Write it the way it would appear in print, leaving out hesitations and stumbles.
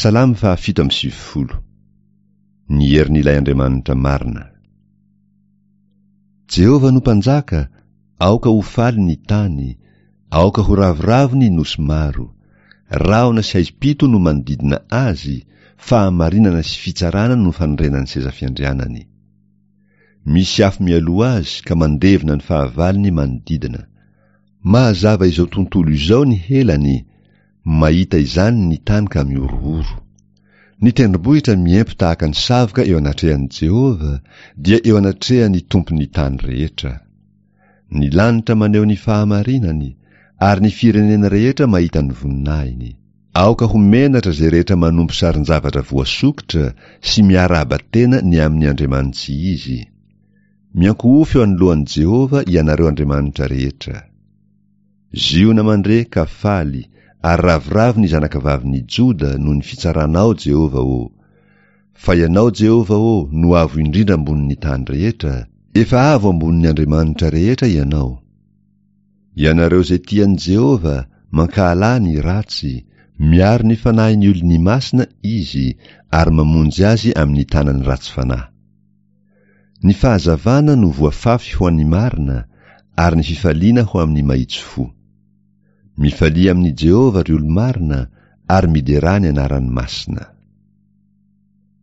Salamo faha 97. Ny herin'ilay Andriamanitra marina. Jehovah no Mpanjaka, aoka ho faly ny tany, aoka ho ravoravo ny nosy maro. Rahona sy haizim-pito no manodidina azy, fahamarinana sy fitsarana no fanorenan'ny seza fiandrianany. Misy afo mialoha azy ka mandevona ny fahavalony manodidina. Mahazava izao tontolo izao ny helany, mahita izany ny tany ka mihorohoro. Ny tendrombohitra miempo tahaka ny savoka eo anatrehan'i Jehovah, dia eo anatrehan'ny Tompon'ny tany rehetra. Ny lanitra maneho ny fahamarinany, ary ny firenena rehetra mahita ny voninahiny. Aoka ho menatra izay rehetra manompo sarin-javatra voasokitra sy miarahaba tena ny amin'ny andriamani-tsy izy. Miankohofy eo anoloan'i Jehovah ianareo andriamanitra rehetra. Ziona mandre ka faly, ary ravoravo ny zanakavavin'i Joda noho ny fitsaranao, Jehovah ô! Fa Ianao, Jehovah ô, no avo indrindra ambonin'ny tany rehetra, efa avo ambonin'ny andriamanitra rehetra Ianao. Ianareo izay tia an'i Jehovah, mankahalà ny ratsy, miaro ny fanahin'ny olony masina Izy ary mamonjy azy amin'ny tanan'ny ratsy fanahy. Ny fahazavana no voafafy ho an'ny marina ary ny fifaliana ho amin'ny mahitsy fo. Mifalia amin'i Jehovah, ry olo-marina, ary miderà ny anarany masina.